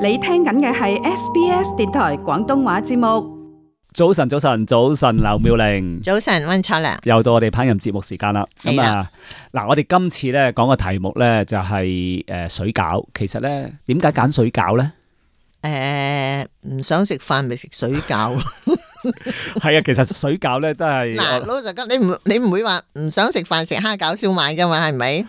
你聽緊嘅係 SBS 電台廣東話節目。早晨，劉妙玲。早晨，溫卓良。又到我哋烹飪節目時間啦。咁啊，嗱，我哋今次咧講個題目咧就係水餃。其實咧，點解揀水餃咧？唔想食飯咪食水餃。係啊，其實水餃咧都係嗱，老實講，你唔會話唔想食飯食蝦餃燒賣噶嘛？係咪？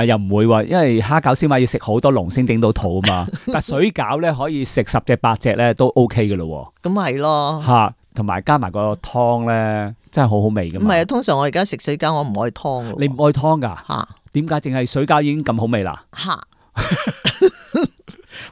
又唔會喎，因為蝦餃燒賣要食好多籠先頂到肚啊嘛。但水餃咧可以食10隻8隻咧都 OK 嘅咯。咁係咯。嚇，同埋加埋個湯咧，真係好好味噶嘛。唔係啊，通常我而家食水餃，我唔愛湯嘅。你唔愛湯㗎？嚇？點解淨係水餃已經咁好味啦？嚇！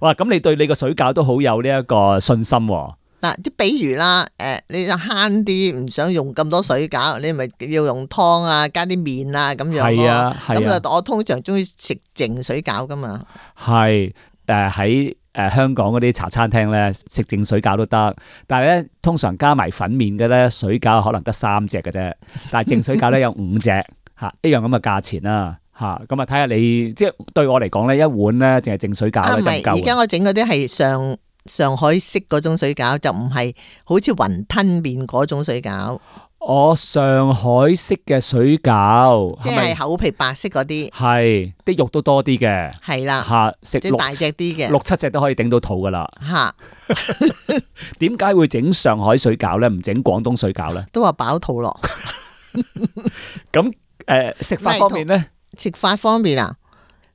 哇！咁你對你個水餃都好有呢一個信心喎。嗱，啲比如啦，你就慳啲，唔想用咁多水餃，你咪要用湯啊，加啲麵啊咁樣咯。係啊，咁啊，我通常中意食淨水餃噶嘛。係喺香港嗰啲茶餐廳咧食淨水餃都得，但係咧通常加埋粉麵嘅咧水餃可能得3隻嘅啫，但係淨水餃咧有5隻嚇，一樣咁嘅價錢啦嚇。咁啊睇下你即係對我嚟講咧，一碗咧淨係淨水餃咧就唔夠。而家我整嗰啲係上海式嗰種水餃，就唔係好似雲吞麵嗰種水餃。上海式嘅水餃，即係口皮白色嗰啲，係啲肉都多啲嘅，係啦嚇，食即係大隻啲嘅，6-7隻都可以頂到肚噶啦嚇。點解會整上海水餃咧？唔整廣東水餃咧？都話飽肚咯。咁食法方面咧？食法方面啊？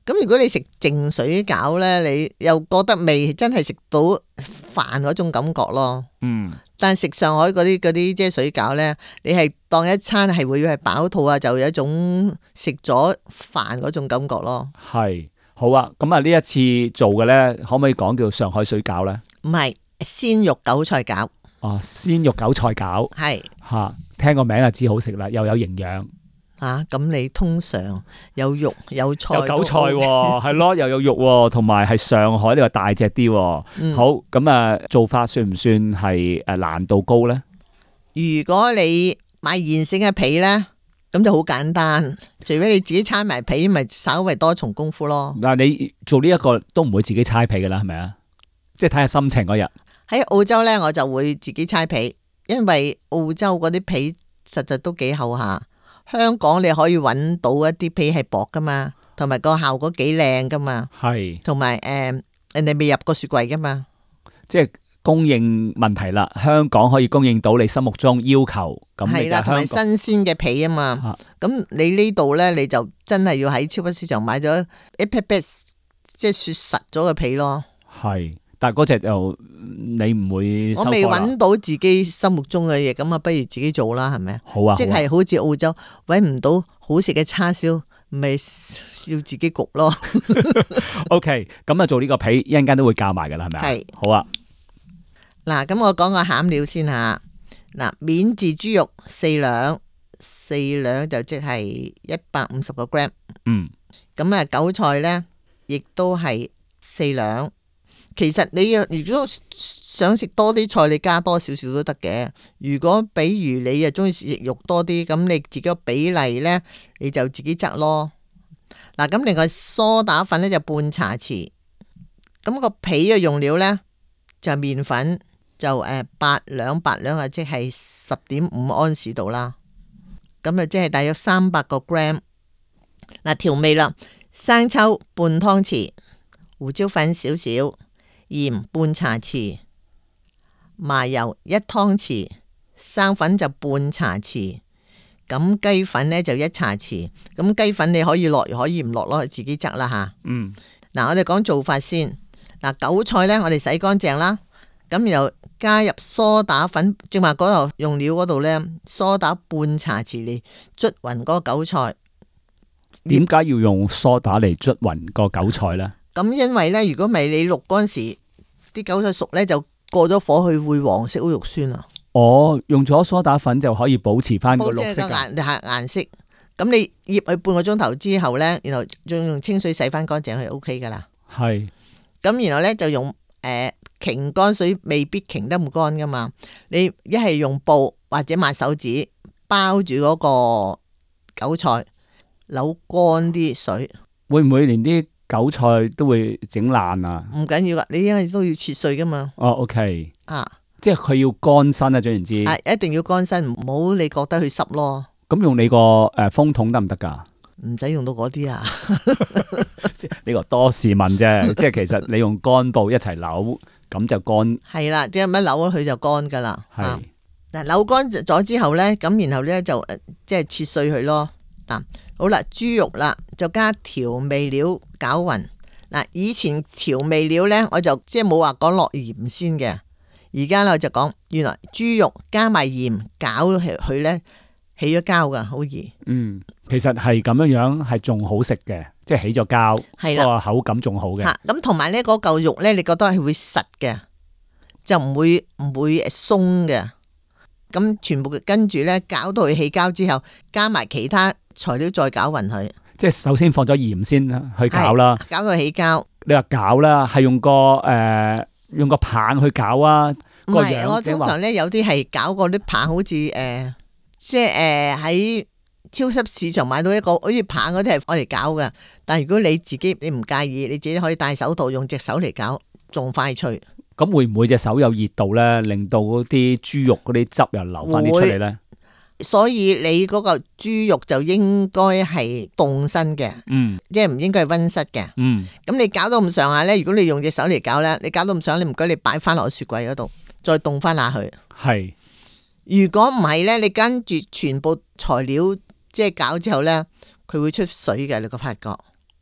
咁如果你食淨水餃咧，你又覺得未真係食到飯嗰種感覺咯。嗯。但係食上海嗰啲即係水餃咧，你係當一餐係會係飽肚啊，就有一種食咗飯嗰種感覺咯。係，好啊。咁啊呢一次做嘅咧，可唔可以講叫上海水餃咧？唔係，鮮肉韭菜餃。哦，鮮肉韭菜餃。係。嚇，聽個名就知好食啦，又有營養。咁你通常有肉有菜有韭菜喎，係咯，又有肉喎，同埋係上海呢個大隻啲。好，咁啊做法算唔算係難度高咧？如果你買現成嘅皮咧，咁就好簡單，除非你自己搓埋皮，咪稍微多重功夫咯。嗱，你做呢一個都唔會自己搓皮噶啦，係咪啊？即係睇下心情嗰日。喺澳洲咧，我就會自己搓皮，因為澳洲嗰啲皮實在都幾厚下。香港你可以揾到一啲皮係薄噶嘛，同埋個效果幾靚噶嘛，係，同埋人哋未入過雪櫃噶嘛，即係供應問題啦。香港可以供應到你心目中要求，咁係啦，同埋新鮮嘅皮啊嘛。咁你呢度咧，你就真係要喺超級市場買咗一劈劈，即係雪實咗嘅皮咯。係。但係嗰隻就你唔會收貨啦。我未揾到自己心目中嘅嘢，咁啊不如自己做啦，係咪啊？好啊，即係好似澳洲揾唔到好食嘅叉燒，咪要自己焗咯。OK， 咁啊做呢個皮一陣間都會教埋噶啦，係咪啊？係。好啊。嗱，咁我講個餡料先吓。嗱，免治豬肉4兩就即係150個 gram。嗯。咁啊韭菜咧，亦都係4兩。其實你如果想食多啲菜，你加多少少都得嘅。如果比如你又中意食肉多啲，咁你自己個比例呢，你就自己執咯。嗱，咁另外梳打粉呢就半茶匙。咁個皮嘅用料呢，就麵粉就8兩啊，即係10.5安士度啦。咁啊即係大約300個 gram。嗱，調味啦，生抽半湯匙，胡椒粉少少。鹽半茶匙，麻油1湯匙，生粉就半茶匙，咁雞粉呢就1茶匙。咁雞粉你可以落，可以唔落咯，自己執啦吓。嗯，嗱，我哋講做法先。嗱，韭菜呢，我哋洗乾淨啦，咁然後加入梳打粉，正話嗰度用料嗰度呢，梳打半茶匙嚟捽勻嗰個韭菜。點解要用梳打嚟捽勻個韭菜呢？咁因為呢，如果唔係你渌嗰陣時，啲韭菜熟呢，就過咗火去會黃色，好肉酸啊。哦，用咗梳打粉就可以保持翻個綠色嘅顏色。咁你醃佢半個鐘頭之後呢，然後再用清水洗翻乾淨，佢 OK 噶啦。係。咁然後呢，就用擎乾水，未必擎得咁乾噶嘛。你一係用布或者抹手指包住嗰個韭菜，扭乾啲水。會唔會連啲韭菜都會整爛啊？唔緊要噶，你因為都要切碎噶嘛。哦，OK，啊，即係佢要乾身啊，總言之。一定要乾身，唔好你覺得佢濕咯。咁用你個風筒得唔得噶？唔使用到嗰啲啊。呢個多士問啫，即係其實你用乾布一齊扭，咁就乾。係啦，即係乜扭咗佢就乾噶啦。係嗱，扭乾咗之後咧，咁然後咧就即係切碎佢咯。嗱，好啦，豬肉啦就加調味料攪勻。嗱，以前調味料咧我就即係冇話講落鹽先嘅，而家咧我就講原來豬肉加埋鹽攪佢咧起咗膠噶，好易。其實係咁樣係仲好食嘅，即係起咗膠，係啦，個口感仲好嘅。咁同埋咧嗰嚿肉咧，你覺得係會實嘅，就唔會鬆嘅。咁全部跟住咧攪到佢起膠之後，加埋其他材料再攪勻佢。即係首先放咗鹽先去攪啦，攪到起膠。你話攪啦，係用個棒去攪啊？唔係，我通常咧有啲係攪過啲棒，好似即係喺超級市場買到一個好似棒嗰啲係我嚟攪嘅。但係如果你自己你唔介意，你自己可以戴手套用隻手嚟攪，仲快脆。咁會唔會隻手有熱度咧，令到嗰啲豬肉嗰啲汁又流翻啲出嚟咧？所以你嗰個豬肉就應該係凍身嘅，即係唔應該係溫室嘅。咁你搞到咁上下咧，如果你用隻手嚟搞咧，你搞到咁上下，你唔該你擺翻落雪櫃嗰度，再凍翻下去。係。如果唔係咧，你跟住全部材料即係搞之後咧，佢會出水嘅，你個發覺。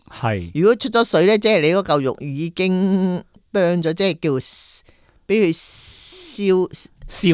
係。如果出咗水咧，即係你嗰嚿肉已經burn咗，即係叫俾佢燒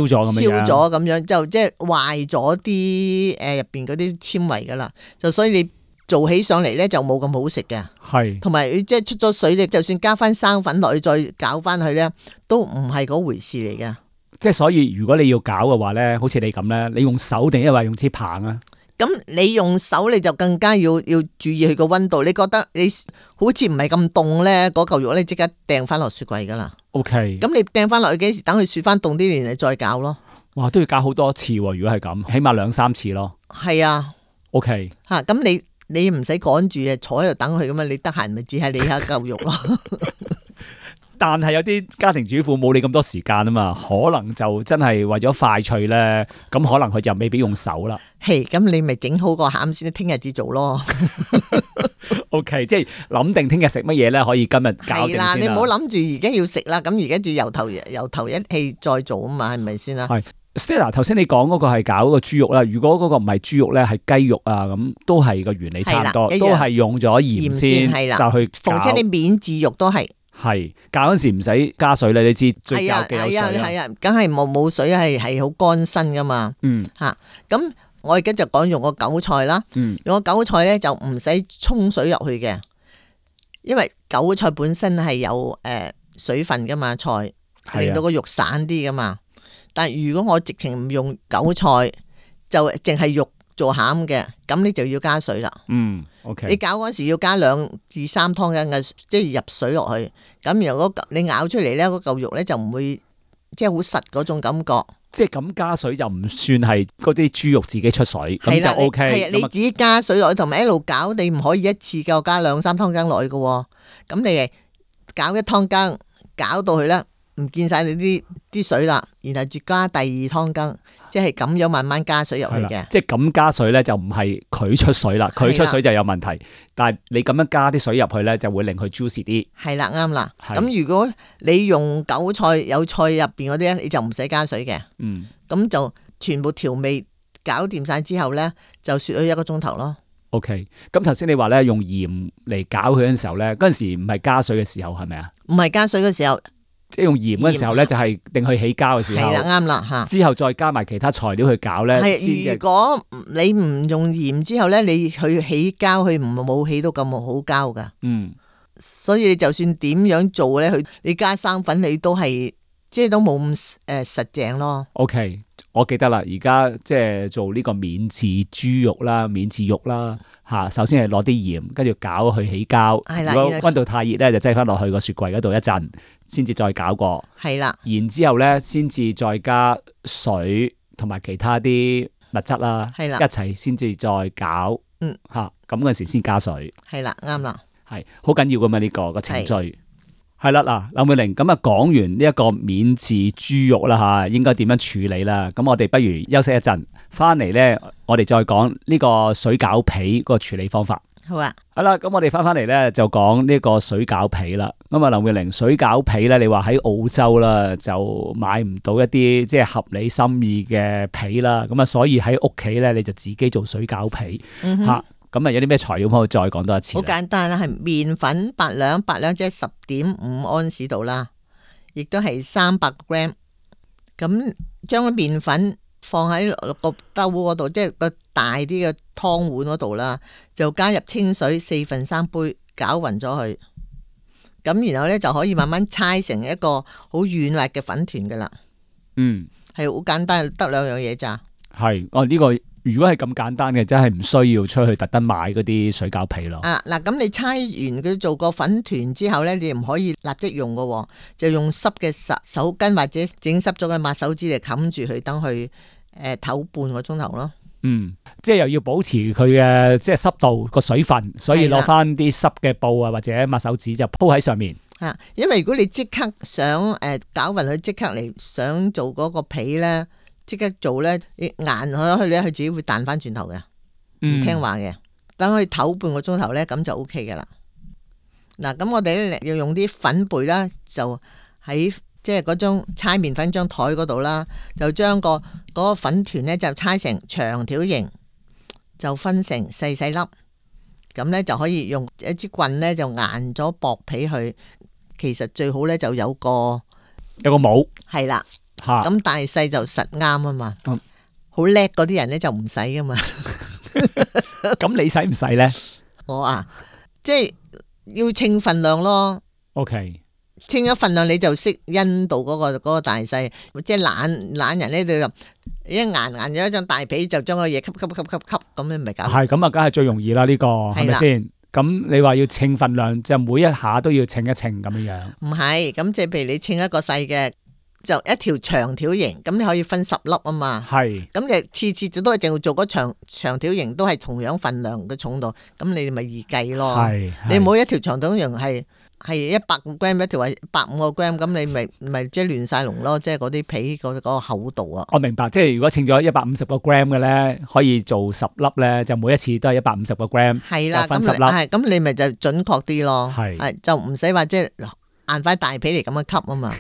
咗咁樣，就即係壞咗啲入邊嗰啲纖維噶啦，就所以你做起上嚟咧就冇咁好食嘅。係，同埋即係出咗水，你就算加翻生粉落去再攪翻去咧，都唔係嗰回事嚟嘅。即係所以如果你要攪嘅話咧，好似你咁咧，你用手定係話用支棒啊？咁你用手你就更加要注意佢個溫度。你覺得你好似唔係咁凍咧，嗰嚿肉咧即刻掟翻落雪櫃噶啦。OK。咁你掟翻落去幾時？等佢雪翻凍啲，然後再攪咯。哇，都要攪好多次喎！如果係咁，起碼2-3次咯。係啊。OK。吓，咁你唔使趕住啊，坐喺度等佢咁啊，你得閒咪只係你下嚿肉咯。但係有啲家庭主婦冇你咁多時間啊嘛，可能就真係為咗快脆咧，咁可能佢就未必用手啦。係，咁你咪整好個餡先，聽日至做咯。OK， 即係諗定聽日食乜嘢咧，可以今日搞定先啦。係啦，你唔好諗住而家要食啦，咁而家就由頭一氣再做啊嘛，係咪先啦？係 Stella， 頭先你講嗰個係搞嗰個豬肉啦，如果嗰個唔係豬肉咧，係雞肉啊，咁都係個原理差唔多，都係用咗鹽先就去搞。逢親你免治肉都係。係搞嗰時唔使加水啦，你知最搞嘅有水。係啊，梗係冇水係好乾身噶嘛。咁我而家就講用個韭菜啦。用個韭菜咧就唔使沖水入去嘅，因為韭菜本身係有水分噶嘛，菜令到個肉散啲噶嘛。但係如果我直情唔用韭菜，就淨係肉做餡嘅，咁你就要加水啦。OK。你搞嗰時要加2至3湯羹嘅，即係入水落去。咁然後你咬出嚟咧，嗰嚿肉咧就唔會即係好實嗰種感覺。即係咁加水就唔算係嗰啲豬肉自己出水，咁就 OK。係啊，你自己加水落去，同埋一路搞，你唔可以一次夠加2-3湯羹落去嘅。咁你係搞1湯羹，搞到佢咧唔見晒你啲水啦，然後再加第2湯羹。即係咁樣慢慢加水入去嘅，即係咁加水咧就唔係佢出水啦，佢出水就有問題。但係你咁樣加啲水入去咧，就會令佢 juicy 啲。係啦，啱啦。咁如果你用韭菜有菜入邊嗰啲咧，你就唔使加水嘅。咁就全部調味搞掂晒之後咧，就雪咗1個鐘頭咯。OK。咁頭先你話咧用鹽嚟攪佢嗰陣時候咧，嗰陣時唔係加水嘅時候係咪啊？唔係加水嘅時候。即係用鹽嗰時候咧，就係定去起膠嘅時候。係啦，啱啦吓。之後再加埋其他材料去搞咧。係，如果你唔用鹽之後咧，你去起膠，佢冇起到咁好膠噶。所以你就算點樣做咧，你加生粉，你都係即係都冇咁實淨咯。OK，我記得啦，而家即係做呢個免治豬肉啦、免治肉啦吓。首先係攞啲鹽，跟住攪佢起膠。係啦。如果溫度太熱咧，就擠翻落去個雪櫃嗰度一陣。先至再攪過，係啦，然之後咧，先至再加水同埋其他啲物質啦，係啦，一齊先至再攪，吓咁嗰時先加水，係啦，啱啦，係好緊要噶嘛呢個程序。係啦，嗱，林慧玲咁啊，講完呢一個免治豬肉啦吓，應該點樣處理啦？咁我哋不如休息一陣，翻嚟咧，我哋再講呢個水餃皮個處理方法。好啊，係啦，咁我哋翻嚟咧就講呢個水餃皮啦。咁啊，林慧玲，水餃皮咧，你話喺澳洲啦就買唔到一啲即係合理心意嘅皮啦，咁啊，所以喺屋企咧你就自己做水餃皮吓。咁啊，有啲咩材料可以再講多一次？好簡單啦，係麵粉8兩，8兩即係10.5安士度啦，亦都係300 gram。咁將個麵粉放喺個兜嗰度，即係個大啲嘅湯碗嗰度啦，就加入清水3/4杯，攪勻咗佢。咁然後咧就可以慢慢搓成一個好軟滑嘅粉團噶啦。係好簡單，得2樣嘢咋。係呢個。如果係咁簡單嘅，真係唔需要出去特登買嗰啲水餃皮咯。嗱，咁你搓完佢做個粉團之後咧，你唔可以立即用噶，就用濕嘅手巾或者整濕咗嘅抹手紙嚟冚住佢，等佢唞半個鐘頭咯。即係又要保持佢嘅即係濕度個水分，所以攞翻啲濕嘅布啊或者抹手紙就鋪喺上面。因為如果你即刻想攪勻佢，即刻嚟想做嗰個皮咧。即刻做咧，你硬咗佢咧，佢自己會彈翻轉頭嘅，唔聽話嘅。等佢唞半個鐘頭咧，咁就 OK 嘅啦。嗱，咁我哋咧要用啲粉貝啦，就喺即係嗰張搓麵粉張台嗰度啦，就將嗰個粉團咧就搓成長條形，就分成細細粒，咁咧就可以用一支棍咧就硬咗薄皮去。其實最好咧就有個帽，係啦。咁大細就實啱啊嘛，好叻嗰啲人咧就唔使噶嘛。咁你使唔使咧？我即係要稱份量咯。OK，稱咗份量你就識因到嗰個大細，即係懶人咧就一硬咗一張大皮就將個嘢吸咁樣咪搞。係咁啊，梗係最容易啦呢個，係咪先？咁你話要稱份量，就每一下都要稱一稱咁樣樣。唔係，咁即係譬如你稱一個細嘅。就一條長條形，咁你可以分10粒啊嘛。係，咁你次都係淨係做嗰長條形，都係同樣份量嘅重度，咁你咪易計咯。你冇一條長條形係100 gram 一條，係150個 gram，咁你咪即係亂晒龍咯，即係嗰啲皮嗰個厚度啊。我明白，即係如果稱咗150個 gram 嘅咧，可以做10粒咧，就每一次都係150個 gram，係啦，分10粒。咁你咪就準確啲咯。係，就唔使話即係。硬塊大皮嚟咁樣吸啊嘛。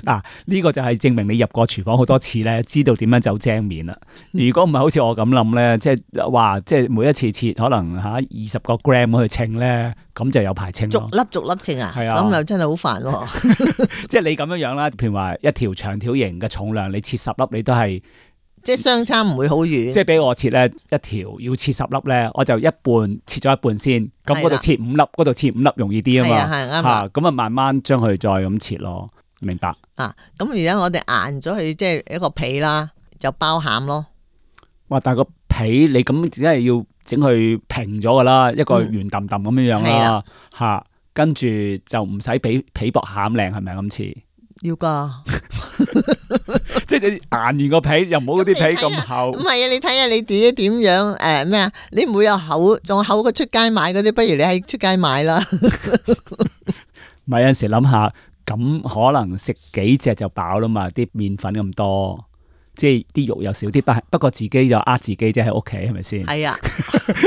嗱，呢個就係證明你入過廚房好多次咧，知道點樣走精面啦。如果唔係好似我咁諗咧，即係話即係每一次切可能20個 gram 去稱咧，咁就有排稱咯。逐粒稱啊？係啊，咁又真係好煩喎。即係你咁樣樣啦，譬如話一條長條形嘅重量，你切10粒你都係。即係相差唔會好遠，即係俾我切咧一條要切10粒咧，我就切咗一半先，咁嗰度切5粒，嗰度切5粒容易啲啊嘛，吓咁啊慢慢將佢再咁切咯，明白？咁而家我哋硬咗佢即係一個皮啦，就包餡咯。哇！但係個皮你咁只係要整佢平咗噶啦，一個圓揼揼咁樣樣啦，吓跟住就唔使俾皮薄餡靚，係咪咁似？要噶。即係你硬完個皮，又唔好啲皮咁厚。唔係啊，你睇下你自己點樣咩啊？你唔會有厚，仲厚過出街買嗰啲，不如你喺出街買啦。咪有陣時諗下，咁可能食幾隻就飽啦嘛，啲麵粉咁多，即係啲肉又少啲，不過自己就呃自己啫，喺屋企係咪先？係啊，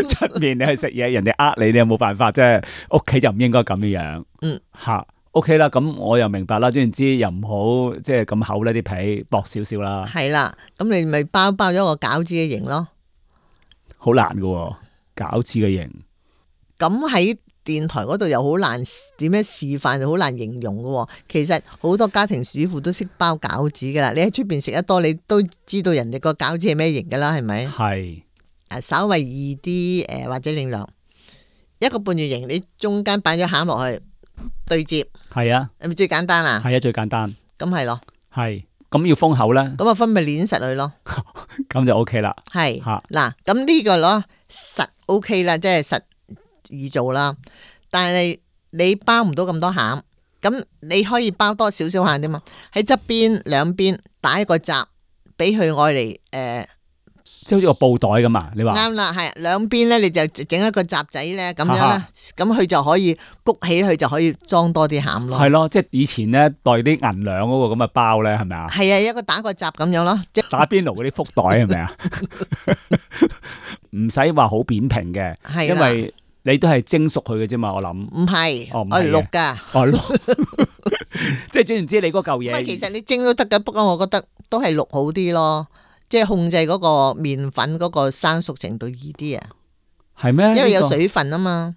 出面你去食嘢，人哋呃你，你又冇辦法啫。屋企就唔應該咁樣。吓。OK 啦，咁我又明白啦，總言之又唔好即係咁厚呢啲皮薄少少啦。係啦，咁你咪包咗個餃子嘅形咯。好難噶，餃子嘅形。咁喺電台嗰度又好難點樣示範，好難形容噶。其實好多家庭主婦都識包餃子噶啦，你喺出邊食得多，你都知道人哋個餃子係咩形噶啦，係咪？係。稍微易啲或者另量一個半月形，你中間擺咗餡落去。對接係啊，係咪最簡單啊？係啊，最簡單。咁係咯，係咁要封口咧。咁啊，分咪捏實佢咯。咁就 OK 啦。係嗱，咁呢個咯實 OK 啦，即係實易做啦。但係你包唔到咁多餡，咁你可以包多少少餡啫嘛。喺側邊兩邊打一個閘，俾佢愛嚟即係好似個布袋咁啊？你話啱啦，係兩邊咧，你就整一個閘仔咧，咁樣啦，咁佢就可以谷起，佢就可以裝多啲餡咯。係咯，即係以前咧袋啲銀兩嗰個咁嘅包咧，係咪啊？係啊，一個打個閘咁樣咯，即係打邊爐嗰啲福袋係咪啊？唔使話好扁平嘅，因為你都係蒸熟佢嘅啫嘛，我諗。唔係，我係淥噶。即係總言之，你嗰嚿嘢。其實你蒸都得噶，不過我覺得都係淥好啲咯，即係控制嗰個麵粉嗰個生熟程度易啲啊。係咩？因為有水分啊嘛。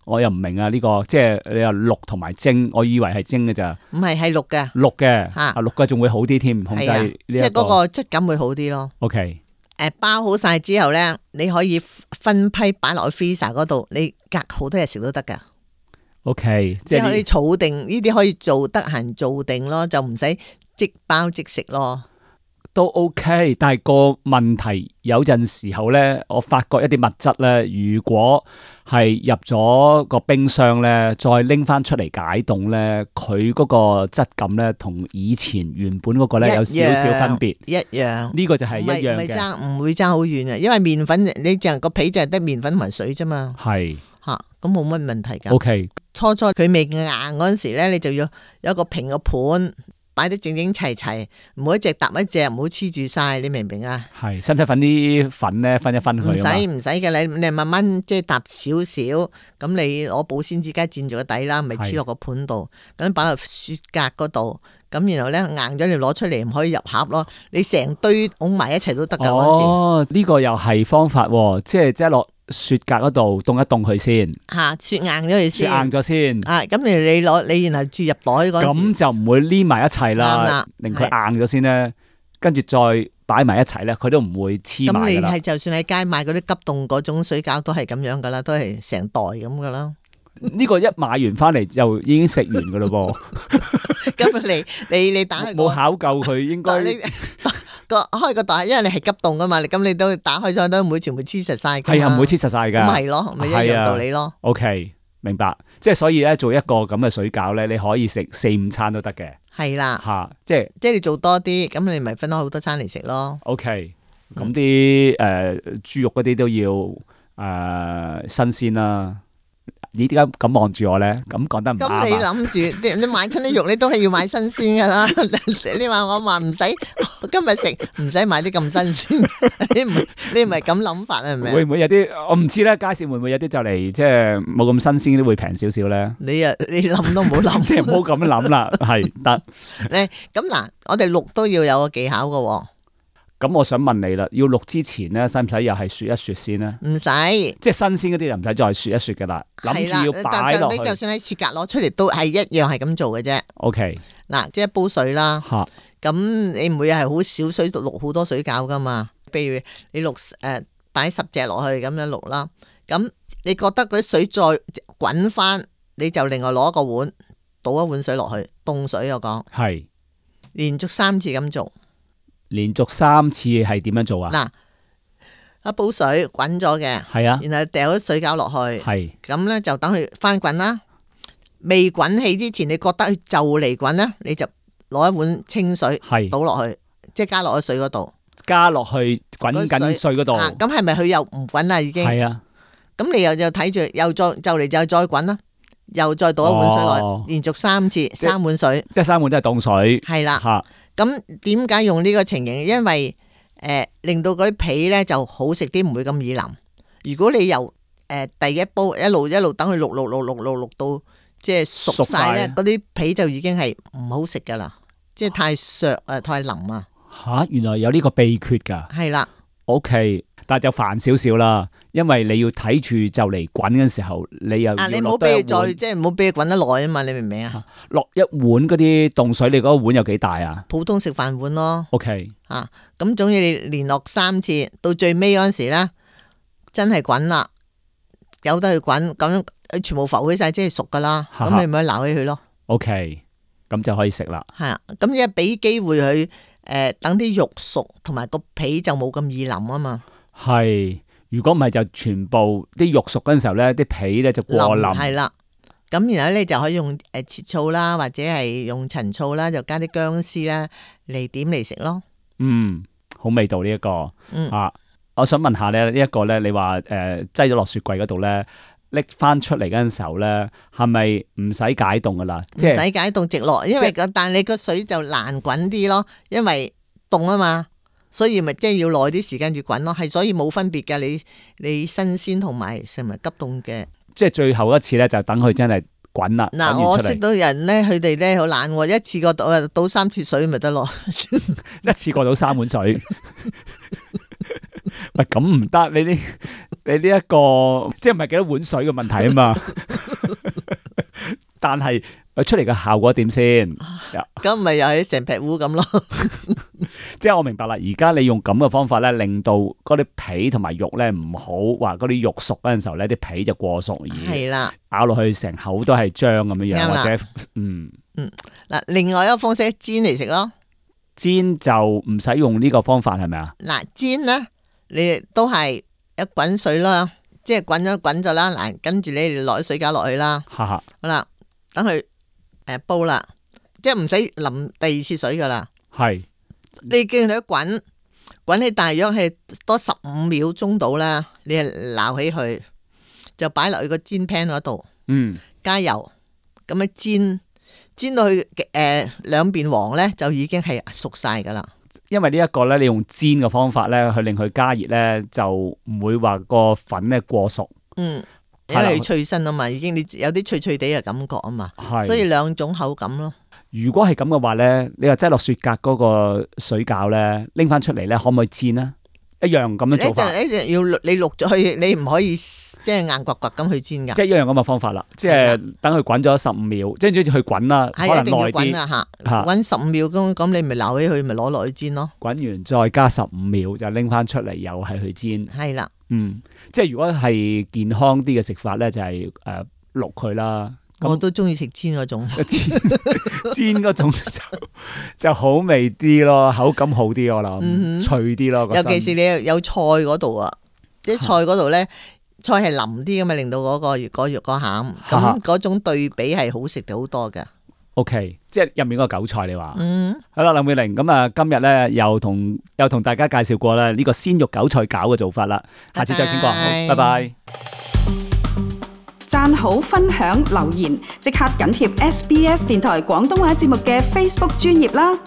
我又唔明啊呢個，即係你話淥同埋蒸，我以為係蒸嘅咋。唔係，係淥嘅。淥嘅吓，淥嘅仲會好啲添，控制呢一個。即係嗰個質感會好啲咯。OK。包好晒之後咧，你可以分批擺落去 freezer 嗰度，你隔好多日食都得噶。OK， 即係可以儲定呢啲，可以做得閒做定咯，就唔使即包即食咯。都 OK， 但係個問題有陣時候咧，我發覺一啲物質咧，如果係入咗個冰箱咧，再拎翻出嚟解凍咧，佢嗰個質感咧，同以前原本嗰個咧有少少分別。一樣，呢個就係一樣嘅，唔會爭好遠啊！因為麵粉你淨係個皮就係得麵粉同埋水啫嘛。係吓，咁冇乜問題噶。OK， 初佢未硬嗰陣時咧，你就要有一個平嘅盤。擺得整整齊齊，唔好一隻搭一隻，唔好黐住晒，你明唔明啊？係，使唔使粉啲粉咧？分一分佢？唔使嘅，你慢慢即係搭少少，咁你攞保鮮紙膠墊住個底啦，咪黐落個盤度，咁擺落雪格嗰度，咁然後咧硬咗你攞出嚟，唔可以入盒咯，你成堆拱埋一齊都得噶。哦，呢個又係方法，即係落雪格嗰度凍一凍佢先，雪硬咗佢先，雪硬咗先。咁你攞你然後注入袋嗰時，咁就唔會黏埋一齊啦，令佢硬咗先咧，跟住再擺埋一齊咧，佢都唔會黐埋噶啦。咁你係就算喺街買嗰啲急凍嗰種水餃都係咁樣噶啦，都係成袋咁噶啦。呢個一買完翻嚟就已經食完噶啦噃。咁你打開冇考究佢應該。開個袋，因為你係急凍噶嘛，咁你都打開咗都唔會全部黐實晒。係啊，唔會黐實晒噶。咁係咯，咪一樣道理咯。OK， 明白。即係所以咧，做一個咁嘅水餃咧，你可以食4-5餐都得嘅。係啦，吓，即係你做多啲，咁你咪分開好多餐嚟食咯。OK，咁啲豬肉嗰啲都要新鮮啦。你點解咁望住我咧？咁講得唔啱啊！咁你諗住，你買親啲肉，你都係要買新鮮噶啦。你話我話唔使今日食，唔使買啲咁新鮮。你唔係咁諗法啊？係咪？會唔會有啲我唔知咧？街市會唔會有啲就嚟即係冇咁新鮮啲會平少少咧？你諗都唔好諗，即係唔好咁諗啦。係得。咁嗱，我哋淥都要有個技巧噶。咁我想問你啦，要淥之前咧，使唔使又係雪一雪先咧？唔使，即係新鮮嗰啲就唔使再雪一雪噶啦。諗住要擺落去，你就算喺雪格攞出嚟都係一樣係咁做嘅啫。OK， 嗱，即係一煲水啦。咁你唔會係好少水淥好多水餃噶嘛？譬如你擺10隻落去咁樣淥啦。咁你覺得嗰啲水再滾翻，你就另外攞個碗倒一碗水落去，凍水我講。係，連續3次咁做。連續3次係點樣做啊？嗱，一煲水滾咗嘅，係啊，然後掉啲水餃落去，係，咁咧就等佢翻滾啦。未滾起之前，你覺得佢就嚟滾咧，你就攞一碗清水，係倒落去，即係加落去水嗰度，加落去滾緊水嗰度。咁係咪佢又唔滾啦？已經係啊。咁你又睇住，又再就嚟就再滾啦，又再倒一碗水落去，連續3次，3碗水，即係3碗都係凍水，係啦，吓。咁點解用呢個情形？因為令到嗰啲皮咧就好食啲，唔會咁易腍。如果你由第一煲一路等佢淥到即係熟晒咧，嗰啲皮就已經係唔好食噶啦，即係太削啊，太腍啊。吓，原來有呢個秘訣噶。係啦。OK， 但係就煩少少啦，因為你要睇住就嚟滾嘅時候，你又要落多一碗，即係唔好俾佢滾得耐啊嘛，你明唔明啊？落一碗嗰啲凍水，你嗰個碗有幾大啊？普通食飯碗咯。OK， 咁總之你連落3次，到最尾嗰陣時咧，真係滾啦，由得佢滾，咁全部浮起晒，即係熟噶啦，咁你咪撈起佢咯。OK， 咁就可以食啦。係啊，咁一俾機會佢。等啲肉熟，同埋個皮就冇咁易腍啊嘛。係，如果唔係就全部啲肉熟嗰陣時候咧，啲皮咧就過腍。係啦，咁然後咧就可以用切醋啦，或者係用陳醋啦，就加啲薑絲啦嚟點嚟食咯。好味道呢一個。我想問下咧，呢一個咧，你話擠咗落雪櫃嗰度咧，拎翻出嚟嗰陣時候咧，係咪唔使解凍噶啦？唔使解凍直落，因為但你個水就難滾啲咯，因為凍啊嘛，所以咪即係要耐啲時間要滾咯，係所以冇分別嘅。你新鮮同埋係咪急凍嘅？即係最後一次咧，就等佢真係滾啦。嗱，我識到人咧，佢哋咧好懶，一次過倒3次水咪得咯，一次過倒3碗水。喂，咁唔得，你呢一個即係唔係幾多碗水嘅問題啊嘛？但係出嚟嘅效果點先？咁咪又係成劈烏咁咯？即係我明白啦，而家你用咁嘅方法咧，令到嗰啲皮同埋肉咧唔好話嗰啲肉熟嗰陣時候咧，啲皮就過熟而係啦，咬落去成口都係漿咁樣樣，或者嗱，另外一個方式煎嚟食咯，煎就唔使用呢個方法係咪啊？嗱，煎咧你都係一滾水啦，即係滾咗啦，嗱，跟住你落啲水餃落去啦，好啦，等佢煲啦，即係唔使淋第2次水噶啦，係。你見佢滾起大約係多15秒鐘到啦，你係撈起佢，就擺落去個煎 pan 嗰度，加油，咁樣煎到佢兩邊黃咧，就已經係熟晒噶啦。因為呢一個咧，你用煎嘅方法咧，去令佢加熱咧，就唔會話個粉咧過熟。因為脆身啊嘛，已經你有啲脆脆地嘅感覺啊嘛，所以2種口感咯。如果係咁嘅話咧，你話擠落雪格嗰個水餃咧，拎翻出嚟咧，可唔可以煎啊？一樣咁樣做法。一定要你渌咗去，你唔可以即係硬刮刮咁去煎噶。即係一樣咁嘅方法啦，即係等佢滾咗15秒，即係去滾啦，可能耐啲。滾15秒咁你咪撈起佢，咪攞落去煎咯。滾完再加15秒就拎翻出嚟，又係去煎。係啦，即係如果係健康啲嘅食法咧，就係渌佢啦。我都中意食煎嗰種，煎嗰種就好味啲咯，口感好啲我諗，脆啲咯。尤其是你有菜嗰度啊，啲菜嗰度咧，菜係腍啲噶嘛，令到嗰個肉個餡，咁嗰種對比係好食好多噶。OK， 即係入面嗰個韭菜你話，好啦，林美玲，咁啊，今日咧又同大家介紹過啦呢個鮮肉韭菜餃嘅做法啦，下次再傾過，好，拜拜。讚好、分享、留言，即刻緊貼SBS 電台廣東話節目嘅 Facebook 專頁啦！